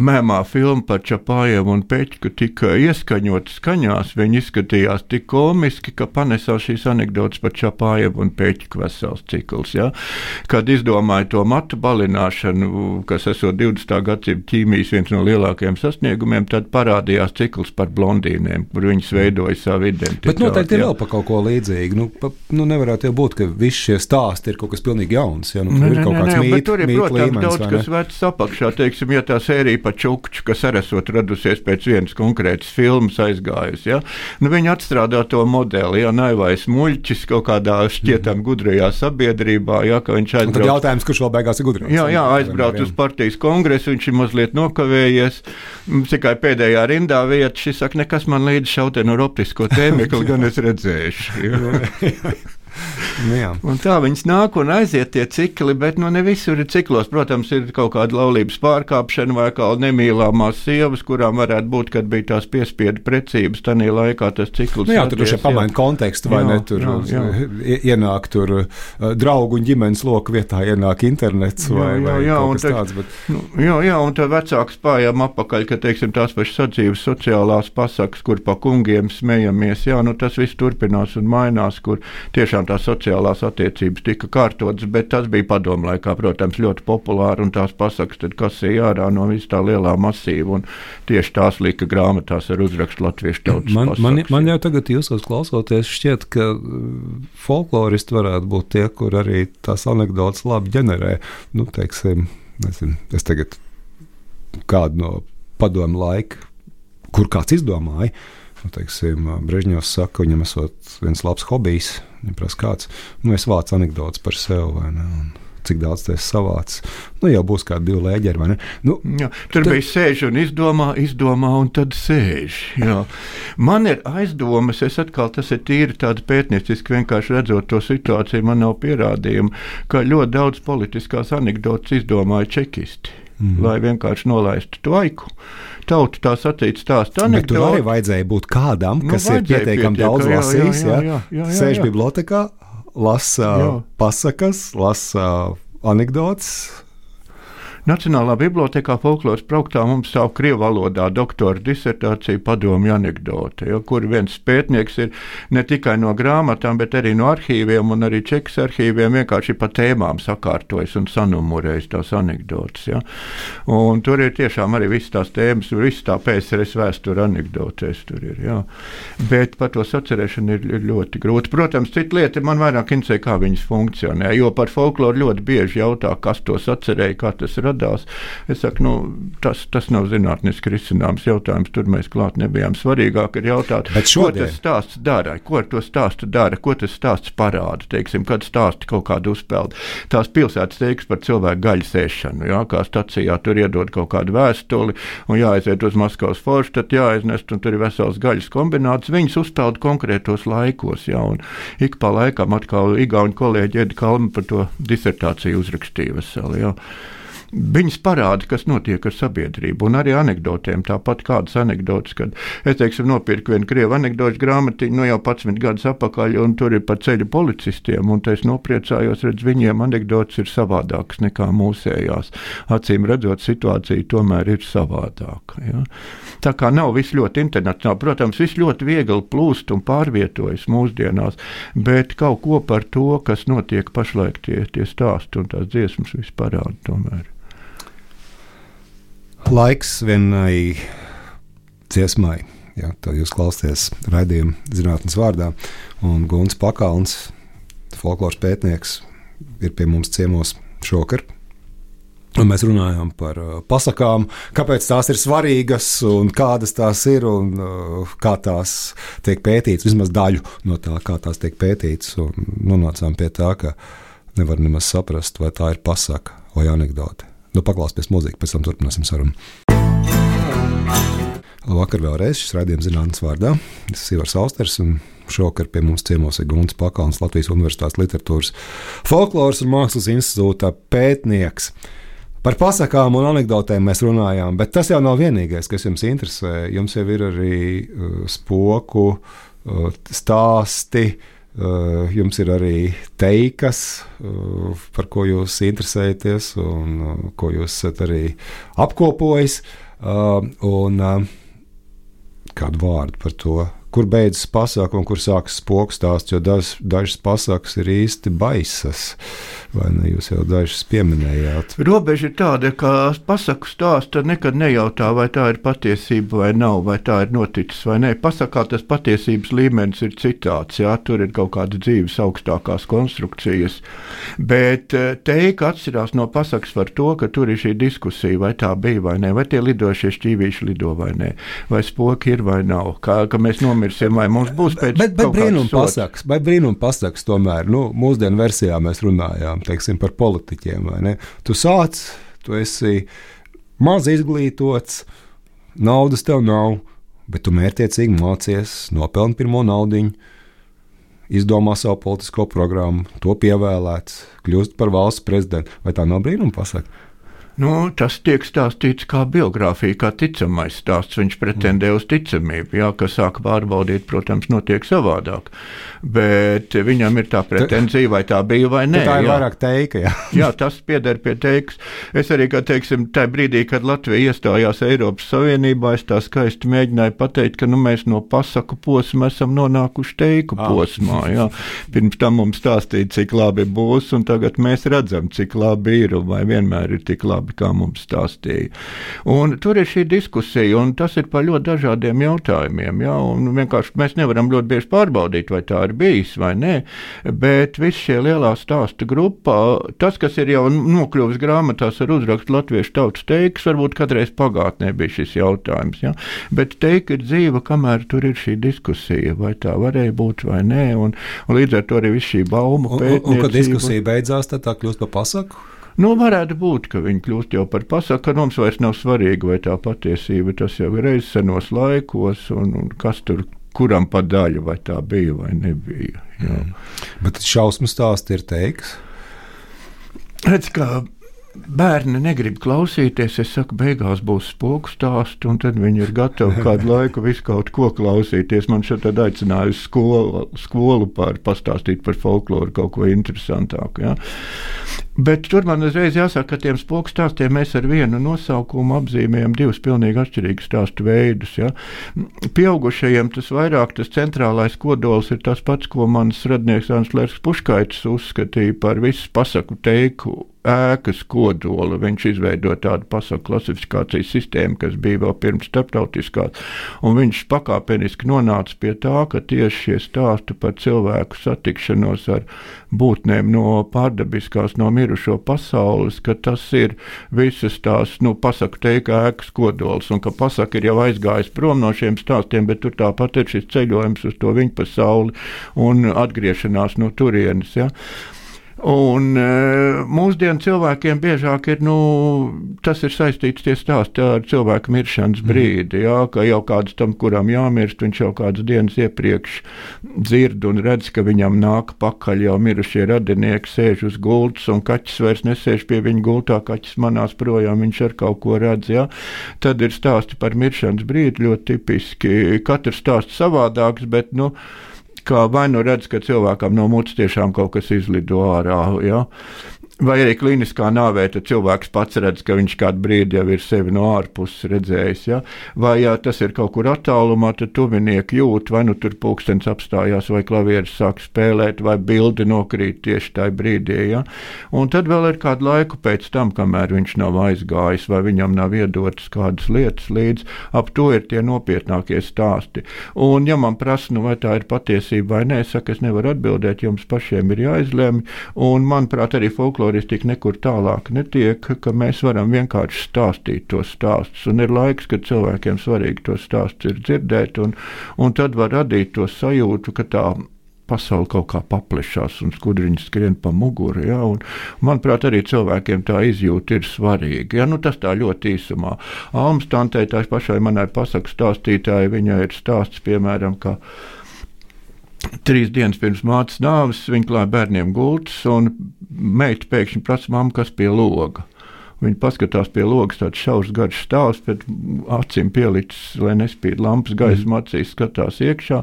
mēmā filma par Čapājevu un Peķku tika ieskaņot skaņās, viņi izskatījās tik komiski, ka panesās šīs anekdotas par Čapājevu un Peķku vesels cikls. Ja? Kad izdomāja to matu balināšanu, kas esot 20. gadsimta ķīmijas viens no lielākajiem sasniegumiem, tad parādījās cikls par blondīnēm, kur viņas veidoja savu identitāti. Bet noteikti ir vēl pa kaut ko līdzīgi. Nevarētu jau būt, ka visi šie stāsti ir kaut kas pilnīgi jauns. Ja? Tur ir kaut kāds mīt, tur ir, protams, daudz kas vecs apakšā. Teiksim, ja tā sērija par Čukču, kas arī esot radusies pēc vienas konkrētas filmas aizgājusi. Ja? Viņi atstrādā to modeli, ja Naivais muļķis kaut kādā šķietam gudrajā sabiedrībā. Ja? Ka viņš aizbrauc. Un tad jautājums, kurš vēl beigās ir gudrāks? Jā, aizbrauc uz partijas kongresu, viņš ir mazliet nokavējies. Tikai pēdējā rindā vieta, šis saka, nekas man līdz šautē no optisko tēmekli, gan es redzēšu. Ja? Un tā viņas nāk un aiziet tie cikli, bet ne visur ir ciklos. Protams, ir kaut kāda laulības pārkāpšana vai kā nemīlāmās sievas, kurām varētu būt, kad bija tās piespiedu precības, tanī laikā tas cikls. Tur šeit pamaina kontekstu, vai ne? Tur ienāk tur draugu un ģimenes loku vietā, ienāk internets vai kaut kas tāds. Bet... un tā vecāks pājām apakaļ, ka, teiksim, tās pašas sadzīves sociālās pasakas, kur pa kungiem smejamies, tas viss turpinās un mainās, kur tiešām tās sociālās attiecības tika kārtotas, bet tas bija padomlaikā, protams, ļoti populāri, un tās pasakas tad kasīja ārā no vis tā lielā masīva, un tieši tās lika grāmatās ar uzrakstu latviešu tautas pasakas. Man jau tagad jūsos klausoties šķiet, ka folkloristi varētu būt tie, kur arī tās anekdotas labi ģenerē. Teiksim, nezinu, es tagad kādu no padomu laika kur kāds izdomāja. Teiksim, Brežņevs saka, viņam esot viens labs hobijs, viņam prasa kāds, es vācu anekdotas par sevi, vai ne, un cik daudz tas savāds. Jau būs kādi 2 lēģeri, vai ne? Tur bija sēž un izdomā un tad sēž. Jā. Man ir aizdomas, tas ir tīri tāda pētnieciski, vienkārši redzot to situāciju, man nav pierādījumu, ka ļoti daudz politiskās anekdotas izdomāja čekisti. Lai vienkārši nolaistu tvaiku. Tauta tā sacīt stāst anekdoti. Bet tur arī vajadzēja būt kādam, kas ir pietiekami daudz lasījis, sēž bibliotekā, lasa pasakas, lasa anekdotes. Nacionālā bibliotēkā folkloras brauktā mums stāv krievu valodā doktora disertācija padomju anekdote, kur viens pētnieks ir ne tikai no grāmatām, bet arī no arhīviem un arī Čekas arhīviem vienkārši pa tēmām sakārtojas un sanumurējas tās anekdotes. Ja? Un tur ir tiešām arī visas tās tēmas, visas tā PSRS vēstura anekdotēs tur ir. Ja? Bet par to sacerēšanu ir ļoti grūti. Protams, cita lieta man vairāk interesē, kā viņas funkcionē, jo par folkloru ļoti bieži jautā, kas to sacerēja, kā tas radās. Es saku, tas nav zinātniski risināms jautājums, tur mēs klāt nebijām. Svarīgāk ir jautāt, ko tas stāsts dara, ko ar to stāstu dara, ko tas stāsts parāda, teiksim, kad stāsti kaut kādu uzpeldu. Tās pilsētas teiks par cilvēku gaļas ēšanu, kā stacijā tur iedod kaut kādu vēstuli un jāaiziet uz Maskavas forštatu, jāaiznest un tur ir vesels gaļas kombināts, viņas uzpelda konkrētos laikos, un ik pa laikam atkal igauņu kolēģi Edi Kalma par to disertāciju uzrakstīja veseli, Viņas parāda, kas notiek ar sabiedrību, un arī anekdotēm. Tāpat kādas anekdotas, kad es, teiksim, nopirku vienu krievu anekdošu grāmatiņu, jau 11 gadus atpakaļ, un tur ir par ceļu policistiem, un es nopriecājos, redz, viņiem anekdotas ir savādākas nekā mūsējās. Acīm redzot, situācija tomēr ir savādāka. Ja? Tā kā nav viss ļoti internacionāli, protams, viss ļoti viegli plūst un pārvietojas mūsdienās, bet kaut ko par to, kas notiek pašlaik tie stāsti un tās dziesmas viss parāda tomēr. Laiks vienai dziesmai. Tad jūs klausāties raidījumu Zinātnes vārdā. Un Gunts Pakalns, folkloras pētnieks, ir pie mums ciemos šokar. Un mēs runājām par pasakām, kāpēc tās ir svarīgas un kādas tās ir un kā tās tiek pētītas, vismaz daļu no tā, kā tās tiek pētītas. Un nonācām pie tā, ka nevar nemaz saprast, vai tā ir pasaka vai anekdote. Paklāsies mūziku, pēc tam turpināsim sarunu. Labvakar vēlreiz, šis raidījums Zinātnes vārdā. Es esmu Ivars Austers, un šokar pie mums ciemos ir Gunts Pakalns, Latvijas Universitātes literatūras folkloras un mākslas institūta pētnieks. Par pasakām un anekdotēm mēs runājām, bet tas jau nav vienīgais, kas jums interesē. Jums jau ir arī spoku stāsti, jums ir arī teikas, par ko jūs interesējaties un ko jūs esat arī apkopojis. Un kādu vārdu par to, kur beidzas pasaka un kur sākas spoku stāsts, jo dažas pasakas ir īsti baisas. Vai ne, jūs jau dažas pieminējāt? Robeža ir tāda, ka pasaku stāsta nekad nejautā, vai tā ir patiesība vai nav, vai tā ir noticis vai nē. Pasakā tas patiesības līmenis ir citāds, tur ir kaut kāda dzīves augstākās konstrukcijas, bet teika atšķirās no pasakas par to, ka tur ir šī diskusija, vai tā bija vai nē, vai tie lidošie šķīvīši lido vai nē, vai spoki ir vai nav, ka mēs nomirsim, vai mums būs pēc bet brīnum pasakas tomēr, mūsdienu versijā mēs runājām, teiksim, par politiķiem, vai ne? Tu esi maz izglītots, naudas tev nav, bet tu mērķiecīgi mācies, nopelni pirmo naudiņu, izdomā savu politisko programmu, to pievēlēts, kļūst par valsts prezidentu. Vai tā nav brīnuma pasaka? Tas tiek stāstīts kā biogrāfija, kā ticamais stāsts. Viņš pretendē uz ticamību, ka sāka pārbaudīt, protams, notiek savādāk. Bet viņam ir tā pretenzija, vai tā bija vai nē. Tā ir vairāk teika, Jā, tas pieder pie teikas. Es arī, tajā brīdī, kad Latvija iestājās Eiropas Savienībā, es tā skaisti mēģināju pateikt, ka mēs no pasaku posma esam nonākuši teiku posmā. Pirms tam mums stāstīja, cik labi būs, un tagad mēs redzam, cik labi ir, un vai vienmēr ir tik labi. labi, kā mums stāstīja. Un tur ir šī diskusija, un tas ir par ļoti dažādiem jautājumiem, ja, un vienkārši mēs nevaram ļoti bieži pārbaudīt, vai tā ir bijis vai nē, bet visi šie lielā stāsta grupā, tas, kas ir jau nokļuvis grāmatās ar uzrakstu Latviešu tautas teikas, varbūt kādreiz pagātnē bija šis jautājums, ja, bet teika ir dzīva, kamēr tur ir šī diskusija, vai tā varēja būt vai nē, un līdz ar to arī viss šī baumu pētniecība. Un kad diskusija beidzās, tad tā kļūst par pasaku? Nu, varētu būt, ka viņi kļūst jau par pasaku, ka mums vairs nav svarīgi, vai tā patiesība, tas jau ir reiz senos laikos, un kas tur, kuram pa daļu, vai tā bija vai nebija. Jā. Bet šausmu stāsti ir teiks? Redz, kā bērni negrib klausīties, es saku, beigās būs spoku stāsti, un tad viņi ir gatavi kādu laiku visu kaut ko klausīties. Man šeit tad aicināja uz skolu pastāstīt par folkloru, kaut ko interesantāku. Ja? Bet tur man uzreiz jāsaka, ka tiem spoku stāstiem mēs ar vienu nosaukumu apzīmējam divus pilnīgi atšķirīgus stāstu veidus. Ja? Pieaugušajiem tas vairāk, tas centrālais kodols ir tas pats, ko mans radnieks Ānslērs Puškaitis uzskatīja par visu pasaku teiku ēkas kodolu. Viņš izveidoja tādu pasaku klasifikācijas sistēmu, kas bija vēl pirms starptautiskās, un viņš pakāpeniski nonāca pie tā, ka tieši šie stāsti par cilvēku satikšanos ar būtnēm no pārdabiskās, no mirušo pasaules, ka tas ir visas tās, pasaku teika ēkas kodols, un ka pasaka ir jau aizgājis prom no šiem stāstiem, bet tur tāpat ir šis ceļojums uz to viņa pasauli un atgriešanās no turienes, ja. Un mūsdienu cilvēkiem biežāk ir, tas ir saistīts tie stāsti ar cilvēku miršanas brīdi, jā, ka jau kāds tam, kuram jāmirst, viņš jau kādas dienas iepriekš dzird un redz, ka viņam nāk pakaļ jau mirušie radinieki, sēž uz gultas, un kaķis vairs nesēž pie viņa gultā, kaķis manās projām, viņš ar kaut ko redz, jā. Tad ir stāsti par miršanas brīdi, ļoti tipiski, katrs stāsts savādāks, bet, kā vai redz, ka cilvēkam no mutes tiešām kaut kas izlido ārā, ja? Vai arī kliniskā nāvē, tad cilvēks pats redz, ka viņš kādu brīdi jau ir sevi no ārpuses redzējis, ja? Vai ja tas ir kaut kur attālumā, tad tuvinieki jūt, vai tur pulkstenis apstājās, vai klavieris sāk spēlēt, vai bildi nokrīt tieši tajā brīdī, ja? Un tad vēl ir kādu laiku pēc tam, kamēr viņš nav aizgājis, vai viņam nav iedotas kādas lietas līdz, ap to ir tie nopietnākie stāsti. Un ja man prasa, vai tā ir patiesība vai nē, saka, es nevaru atbildēt, jums pašiem ir jāizlemj, un manuprāt arī folkloristika nekur tālāk netiek, ka mēs varam vienkārši stāstīt tos stāstus, un ir laiks, kad cilvēkiem svarīgi tos stāstus ir dzirdēt, un tad var radīt to sajūtu, ka tā pasaule kaut kā paplešās un skudriņas skrien pa muguru, ja, un manuprāt arī cilvēkiem tā izjūta ir svarīga, ja, tas tā ļoti īsumā. Almas tantei, tā pašai manai pasaku stāstītāji, viņai ir stāsts, piemēram, ka 3 dienas pirms mātes nāves viņa klāja bērniem gultas, un meita pēkšņi prasa, mamma, kas pie loga. Viņi paskatās pie logas, tāds šaurs garš stāvs, bet acīm pielicis, lai nespīd lampas gaisma acīs, skatās iekšā.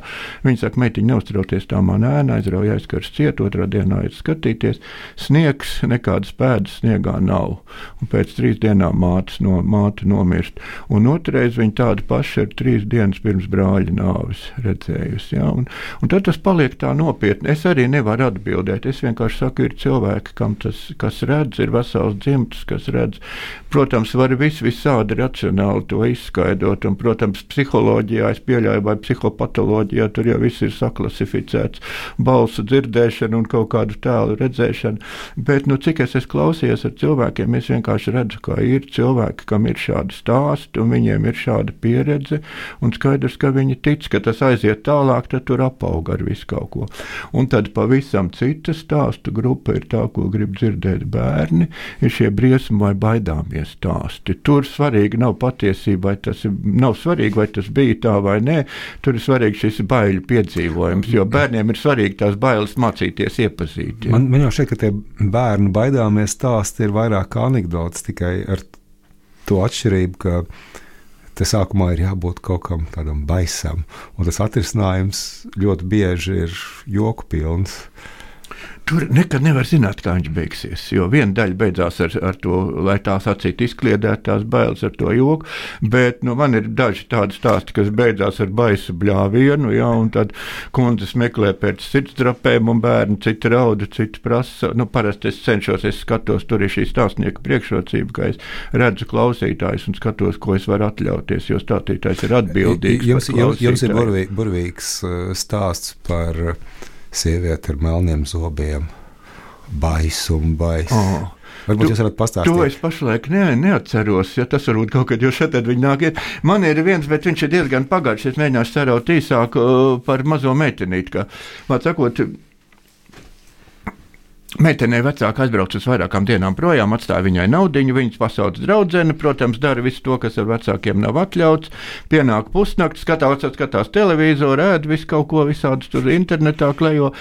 Viņi saka, meitiņa, neuztrauties, tā man ēna, aizrauja aizkars ciet, otrā dienā ir skatīties. Sniegs, nekādas pēdas sniegā nav. Un pēc 3 dienām māte nomirst. Un otrais viņa tāda paša ir 3 dienas pirms brāļa nāves redzējusi. Ja? Un tad tas paliek tā nopietni. Es arī nevaru atbildēt. Es vienkārši saku, ir cilvēki, kam tas, kas redz, ir vesels dzimtas, kas redz. Protams, var visādi racionāli to izskaidrot, un, protams, psiholoģijā es pieļauju, vai psihopatoloģijā tur jau viss ir saklasificēts, balsu dzirdēšana un kaut kādu tēlu redzēšana, bet, cik es klausījos ar cilvēkiem, es vienkārši redzu, ka ir cilvēki, kam ir šādi stāsti, un viņiem ir šāda pieredze, un skaidrs, ka viņi tic, ka tas aiziet tālāk, tad tur apauga ar visu kaut ko. Un tad pavisam cita stāstu grupa ir tā, ko grib dzirdēt bērni, ir šie briesmu vai baidāmies stāsti. Tur svarīgi nav patiesība, nav svarīgi, vai tas bija tā vai nē, tur ir svarīgi šis baiļu piedzīvojums, jo bērniem ir svarīgi tās bailes mācīties iepazīt. Ja? Man jau šeit, ka tie bērnu baidāmies stāsti ir vairāk kā anekdotas, tikai ar to atšķirību, ka te sākumā ir jābūt kaut kam tādam baisam, un tas atrisinājums ļoti bieži ir joku pilns. Tur nekad nevar zināt, kā viņš beigsies. Jo viena daļa beidzās ar to, lai tās acīt izkliedētu tās bailes ar to joku, bet man ir daži tādi stāsti, kas beidzās ar baisu bļāvienu, un tad kundzes meklē pēc sirdsdrapēm un bērni citi rauda, citi prasa. Parasti es cenšos, es skatos, tur ir šī stāstnieka priekšrocība, ka es redzu klausītājus un skatos, ko es varu atļauties, jo stāstītājs ir atbildīgs. Jums ir burvīgs stāsts par sievieti ar melniem zobiem, baisu. Varbūt jūs varat pastāstīt. To es pašlaik neatceros, ja tas varbūt kaut kad, jo šeit viņi nāk iet. Man ir viens, bet viņš ir diezgan pagājuši, es mēģināšu saraut īsāk par mazo meitenīti, ka, vārds sakot, meitenei vecāka aizbrauc uz vairākām dienām projām, atstāja viņai naudiņu, viņas pasauc draudzene, protams, dara visu to, kas ar vecākiem nav atļauts, pienāk pusnakts, skatās televizoru, ēd visu kaut ko, visādus tur internetā klejo,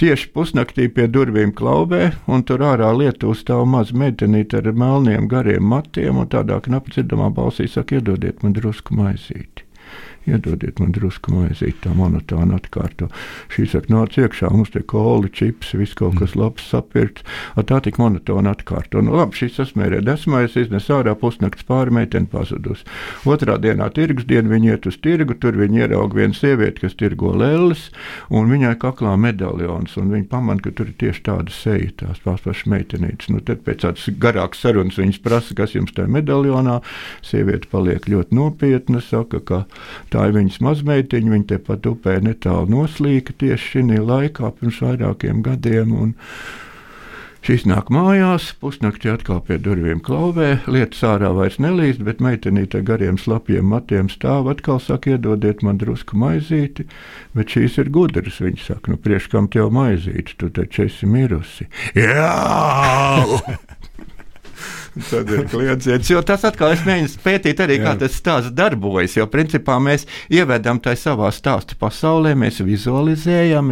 tieši pusnaktī pie durvīm klauvē, un tur ārā Lietuvā stāv maza meitenīte ar melniem gariem matiem, un tādā knapi dzirdamā balsī saka, iedodiet man drusku maizīti. Iedodiet man drusku maizīti, tā monotāna atkārto. Šī saka, nāc iekšā, mums te koli, čips, viss kaut kas labs sapirkts. Tā tik monotona atkārto. Labi, šis sasmērē desmais, iznes ārā pusnakts pāri, meiteni pazudus. Otrā dienā tirgus diena, viņi iet uz tirgu, tur viņi ieraug vienu sievieti, kas tirgo lelles, un viņai kaklā medaljons, un viņi pamana, ka tur ir tieši tāda seja, tās pašas meitenītes. Tad pēc tādas garākas sarunas viņas prasa, kas jums tajā medaljonā. Sieviete paliek ļoti nopietna, saka, ka tā ir viņas mazmeitiņa, viņa tepat upē netālu noslīka tieši šī laikā pirms vairākiem gadiem, un šis nāk mājās, pusnaktī atkal pie durvīm klauvē, lietas ārā vairs nelīst, bet meitenīte gariem slapjiem matiem stāv, atkal saka, iedodiet man drusku maizīti, bet šīs ir gudras, viņa saka, priekš kam tev maizīti, tu taču esi mirusi. Jā! Tad ir kliedziens, jo tas atkal es mēģinu pētīt arī, kā tas stāsts darbojas, jo principā mēs ievedam tai savā stāstu pasaulē, mēs vizualizējam,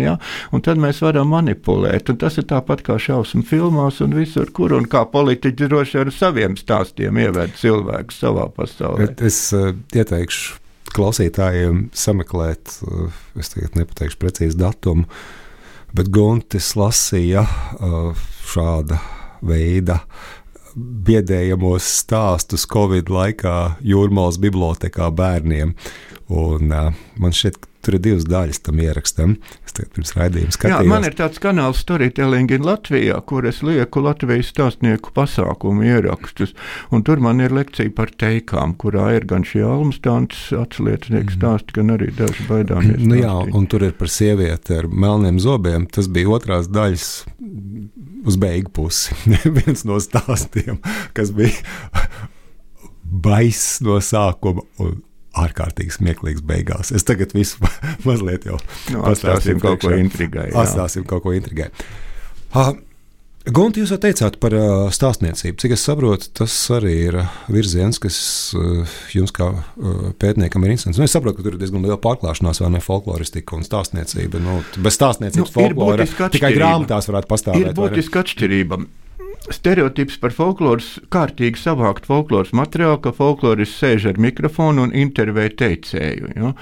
un tad mēs varam manipulēt, un tas ir tāpat kā šausmu filmās un visur, kur un kā politiķi droši ar saviem stāstiem ieved cilvēku savā pasaulē. Bet es ieteikšu klausītājiem sameklēt, es tagad nepateikšu precīzi datumu, bet Guntis lasīja šāda veida biedējamos stāstus Covid laikā Jūrmalas bibliotēkā bērniem. Un man šķiet, tur ir 2 daļas tam ierakstam. Es tagad pirms raidījuma skatījos. Man ir tāds kanāls Storytelling in Latvijā, kur es lieku Latvijas stāstnieku pasākumu ierakstus. Un tur man ir lekcija par teikām, kurā ir gan šie almstāns atsliecinieki stāsti, gan arī daži baidāmies. Un tur ir par sievieti ar melniem zobiem. Tas bija 2. daļas uz beigu pusi. Viens no stāstiem, kas bija baiss no sākuma un ārkārtīgi smieklīgs beigās. Es tagad visu mazliet jau atstāsim kaut ko intrigai. Atstāsim kaut ko intrigai. Gunti, jūs jau teicāt par stāstniecību. Cik es saprotu, tas arī ir virziens, kas jums kā pētniekam ir interesants. Es saprotu, ka tur ir diezgan liela pārklāšanās, vai ne, folkloristika un stāstniecība. Bez stāstniecības folklora tikai grāmatās varētu pastāvēt. Ir būtiska atšķirība. Stereotips par folkloras, kārtīgi savākt folkloras materiālu, ka folklorists sēž ar mikrofonu un intervē teicēju.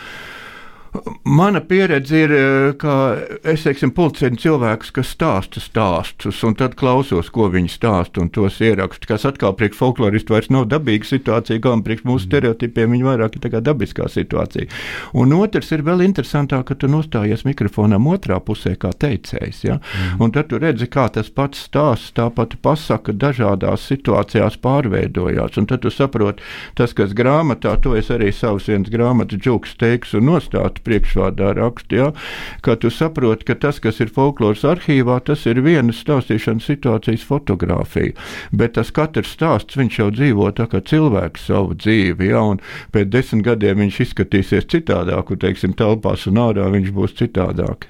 Mana pieredze ir, ka es, pulcinu cilvēkus, kas stāsta stāstus, un tad klausos, ko viņi stāsta, un tos ierakstu, kas atkal priekš folkloristu vairs nav dabīga situācija, kā priekš mūsu stereotipiem viņi vairāk ir tā kā dabiskā situācija. Un otrs ir vēl interesantāk, ka tu nostājies mikrofonam otrā pusē kā teicējs, un tad tu redzi, kā tas pats stāsts, tā pati pasaka dažādās situācijās pārveidojās, un tad tu saproti, tas, kas grāmatā, to es arī savus viens grāmatas džuks teiks un nostātu priekšvārdā rakstu, ka tu saproti, ka tas, kas ir folkloras arhīvā, tas ir vienas stāstīšanas situācijas fotografija, bet tas katrs stāsts, viņš jau dzīvo tā kā cilvēks savu dzīvi, un pēc 10 gadiem viņš izskatīsies citādāk, un, telpās un ārā viņš būs citādāk,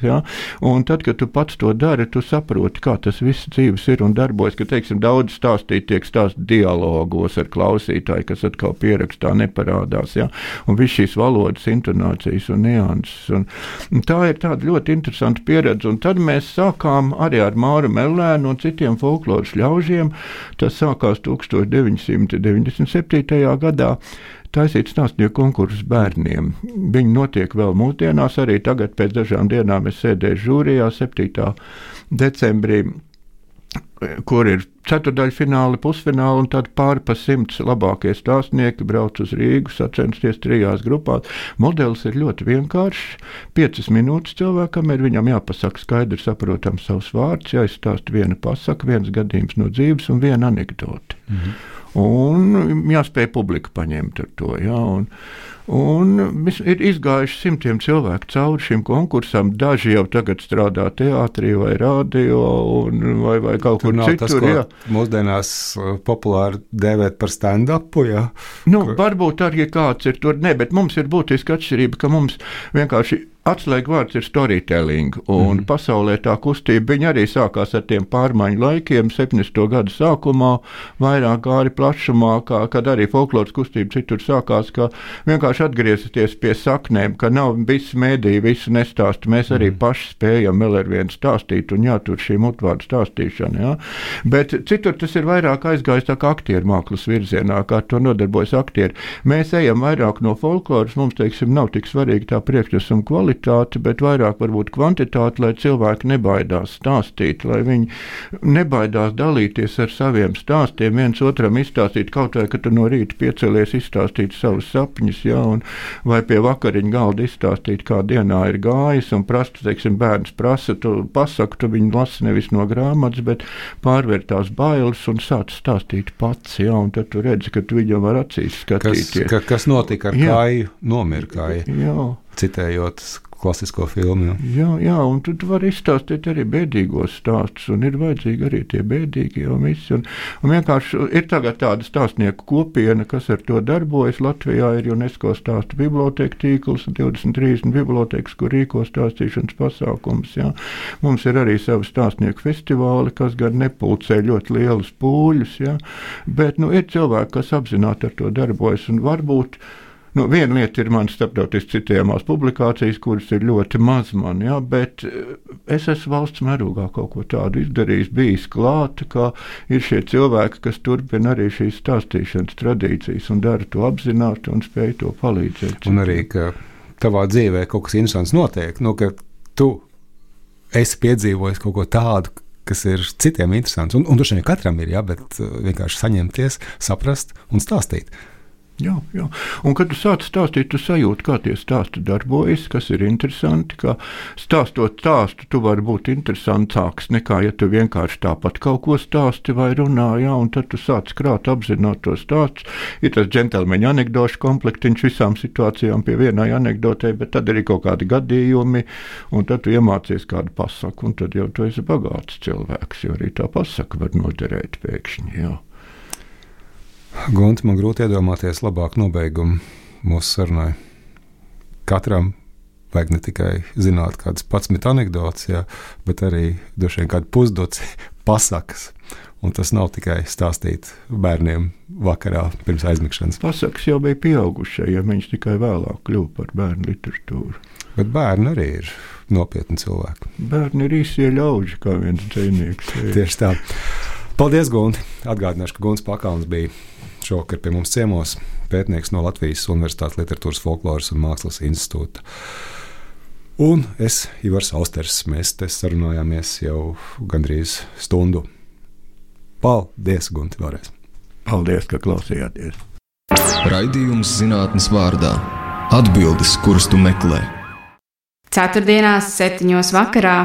un tad, kad tu pats to dari, tu saproti, kā tas viss dzīves ir un darbojas, ka, daudz stāstīt tiek stāst dialogos ar klausītāju, kas atkal pierakstā neparādās, un viss šīs valodas, intonācijas un nianses. Un tā ir tāda ļoti interesanta pieredze. Un tad mēs sākām arī ar Māru Mellēnu un citiem folkloras ļaužiem. Tas sākās 1997. gadā. Taisīt stāstnieku konkursus bērniem. Viņi notiek vēl mūsdienās, arī tagad pēc dažām dienām es sēdēju žūrijā 7. decembrī, kur ir ceturdaļfināli, pusfināli un tad pāri pa 100 labākie stāstnieki brauc uz Rīgu, sacensties 3 grupās. Modelis ir ļoti vienkāršs. 5 minūtes cilvēkam ir, viņam jāpasaka skaidri saprotams savs vārds, jāizstāst viena pasaka, viens gadījums no dzīves un viena anekdote. Un jāspēj publika paņemt ar to. Ja, un ir izgājuši 100 cilvēku cauri šim konkursam. Daži jau tagad strādā teātrī vai radio vai kaut kur citur. Tas, ko mūsdienās populāri dēvēt par stand-upu, ja? Varbūt arī kāds ir tur, bet mums ir būtiska atšķirība, ka mums vienkārši atslēga vārds ir storytelling, un pasaulē tā kustība, viņa arī sākās ar tiem pārmaiņu laikiem, 70. gadu sākumā, vairāk gāri plašumā, kad arī folkloras kustība citur sākās, ka vienkārši atgriezties pie saknēm, ka nav visi mēdīji, visu nestāst, mēs arī paši spējam vēl ar vienu stāstīt, un jātur šī mutvārdu stāstīšana, ja? Bet citur tas ir vairāk aizgājis tā kā aktieru mākslas virzienā, kā to nodarbojas aktieri. Mēs ejam vairāk no folkloras, mums, teiksim, nav tik svarīgi tā priekšnesuma kvalitāte, bet vairāk varbūt kvantitāte, lai cilvēki nebaidās stāstīt, lai viņi nebaidās dalīties ar saviem stāstiem, viens otram izstāstīt, kaut vai, ka tu no rīta piecelies izstāstīt savus sapņus, ja, vai pie vakariņa galda izstāstīt, kā dienā ir gājis, un teiksim, bērns prasa, tu pasaku, tu viņu lasi nevis no grāmatas, bet pārvērt tās bailes un sāc stāstīt pats, ja, un tad tu redzi, ka tu viņam var acīs skatīties. Kas notika ar Kāju, nomira Kāja? Jā. Citējot klasisko filmu. Jā, un tu vari izstāstīt arī bēdīgos stāstus, un ir vajadzīgi arī tie bēdīgi jau visi. Un vienkārši ir tagad tāda stāstnieku kopiena, kas ar to darbojas. Latvijā ir UNESCO stāstu biblioteka tīkls, 23 bibliotekas, kur rīko stāstīšanas pasākums. Jā. Mums ir arī savi stāstnieku festivāli, kas gan nepulcē ļoti lielus pūļus, jā. Bet ir cilvēki, kas apzināti ar to darbojas, un varbūt viena lieta ir manas starptautiski citējamās publikācijas, kuras ir ļoti maz man, ja, bet es esmu valsts mērogā kaut ko tādu izdarījis, bijis klāt, ka ir šie cilvēki, kas turpina arī šīs stāstīšanas tradīcijas un dara to apzināti un spēj to palīdzēt. Un arī, ka tavā dzīvē kaut kas interesants notiek, ka tu esi piedzīvojis kaut ko tādu, kas ir citiem interesants. Un droši vien katram ir, bet vienkārši saņemties, saprast un stāstīt. Jā. Un, kad tu sāc stāstīt, tu sajūti, kā tie stāsti darbojas, kas ir interesanti, ka stāstot stāstu, tu vari būt interesantāks nekā, ja tu vienkārši tāpat kaut ko stāsti vai runā, jā, un tad tu sāc krāt apzināt to stāstu. Ir tas džentelmeņa anekdošu komplektiņš visām situācijām pie vienai anekdotei, bet tad arī kaut kādi gadījumi, un tad tu iemācies kādu pasaku, un tad jau tu esi bagāts cilvēks, jo arī tā pasaka var noderēt pēkšņi, jā. Gunti, man grūti iedomāties labāku nobeigumu mūsu sarunai. Katram vajag ne tikai zināt kādas 11 anekdotes, bet arī droši vien kādu pusdoci pasakas. Un tas nav tikai stāstīt bērniem vakarā pirms aizmigšanas. Pasakas jau bija pieaugušajiem, viņš tikai vēlāk kļuva par bērnu literatūru. Bet bērni arī ir nopietni cilvēki. Bērni ir īsie ļauži, kā viens dzejnieks. Tieši tā. Paldies, Gunti! Atgādināšu, ka Gunts Pakalns bija šovakar pie mums ciemos, pētnieks no Latvijas Universitātes Literatūras, folkloras un mākslas institūta. Un es, Ivars Austers, mēs te sarunājāmies jau gandrīz stundu. Paldies, Gunti, vēlreiz! Paldies, ka klausījāties! Raidījums zinātnes vārdā. Atbildes, kuras tu meklē. Ceturtdienās 7:00 vakarā